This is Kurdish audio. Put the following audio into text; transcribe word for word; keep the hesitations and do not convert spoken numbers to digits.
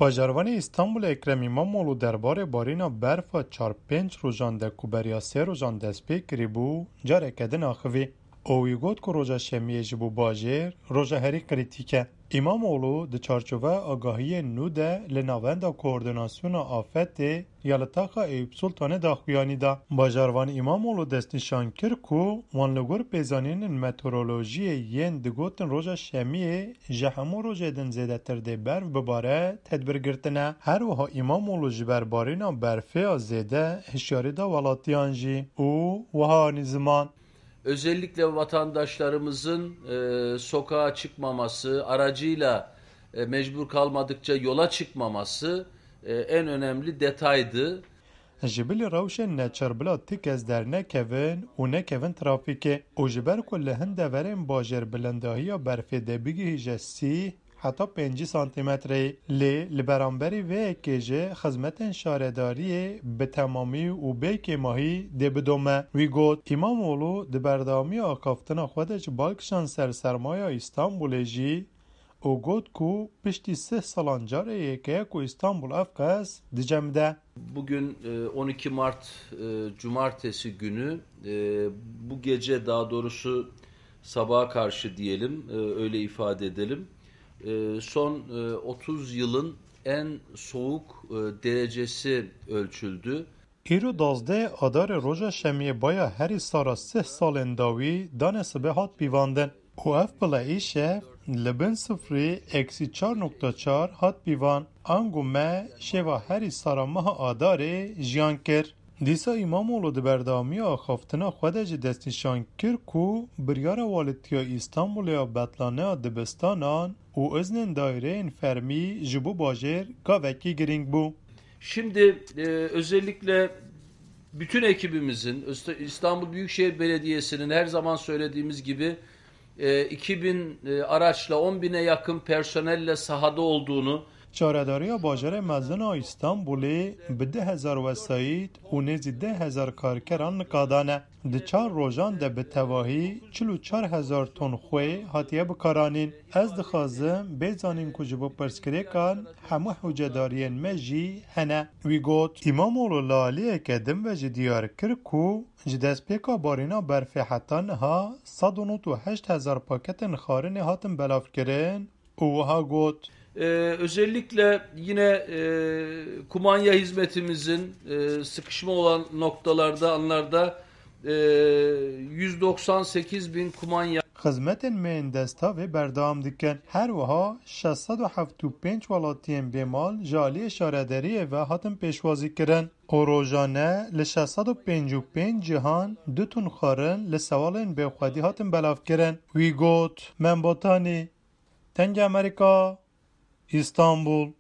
Bajarvanê Îstanbulê Ekrem Îmamoğlu derbarê barîna berfa çar pênc rojan de ku beriya sê rojan dest pê kirîbû, careke din axivî û wî got ku roja Şemiyê ji bo bajêr roja herî krîtîk e. Îmamoğlu di çarçoveya agahiyên nû de li Navenda Koordînasyona Afetê ya li taxa Eyûp Sultanê daxuyanî da. Bajarvan Îmamoğlu destnîşan kir ku wan li gor pêzanînên meteorolojiyê yên digotin roja Şemiyê ji hemû rojê din zêdetir dê berf bibare tedbir girtine. Her wiha Îmamoğlu ji ber barîna berfê ya zêde hişyarî da welatiyan jî û wiha anî ziman. Özellikle vatandaşlarımızın, e, sokağa çıkmaması, aracıyla, e, mecbur kalmadıkça yola çıkmaması, e, en önemli detaydı. Ji bilî rewşên neçar bila ti kes dernekevin û nekevin trafîkê û ji ber ku li hin deverên bajêr bilindahiya berfê dê bigihîje sî heta pêncî santîmetreyê, lê li beramberî vê yekê jî xizmetên şaredariyê bi temamî û bê kêmahî dê bidome. Wî got, Îmamoğlu di berdewamiya axaftina xwe de ji balkişan ser sermaya Îstanbulê jî û got ku piştî sih salan carê yekê ye ku Îstanbul ev qas dicemide. Bugün, e, on iki Mart, e, Cumartesi günü, e, bu gece, daha doğrusu sabaha karşı diyelim, e, öyle ifade edelim. E, son, e, otuz yılın en soğuk, e, derecesi ölçüldü. Îro duwazdeh Adarê roja Şemiyê baya herî sara sih salên dawî danê sibê hat pîvandin û ev bila îşev li bin sifrê, eksi çar nokta çar, hat pîvan. Ango me şeva herî sara meha Adarê jiyan kir. Dîsa Îmamoğlu di berdewamiya axaftina xwe de jî destnîşan kir ku biryara Walîtiya Îstanbulê ya betlaneya dibistanan û iznên daîreyên fermî ji bo bajêr gavekî girîng bû. Şimdi, e, özellikle bütün ekibimizin, Öste-, İstanbul Büyükşehir Belediyesi'nin her zaman söylediğimiz gibi, e, iki bin, e, araçla, on bine yakın personelle sahada olduğunu, Şaredariya bajarê mezin a Îstanbulê bi du hezar wesayît û nêzî deh hezar karkeran nika dane. Di çar rojan de bi tevahî çil û çar hezar ton xwê hatiye bikaranîn. Ez dixwazim bê zanîn ku ji bo pirsgirêkan hemû hewcedariyên me jî hene. Wî got, Îmamoğlu li aliyeke din ve jî diyar kir ku ji destpêka barîna berfê heta niha sed û nod û heşt hezar paketên xarinê hatin belavkirin û wiha got, Ee, özellikle yine, e, kumanya hizmetimizin, e, sıkışma olan noktalarda, anlarda, e, yüz doksan sekiz bin kumanya. Xizmetên me yên destavê berdewam dikin. Her wiha şeş sed û heft û pênc welatiyên bêmal ji aliyê şaredariyê ve hatin pêşwazî kirin û rojane li şeş sed û pêncî û pênc cihan du ton xwarin li sewalên bêxwedî hatin belavkirin. Wî got, Membatanî, Dengê Amerîka, Îstanbul.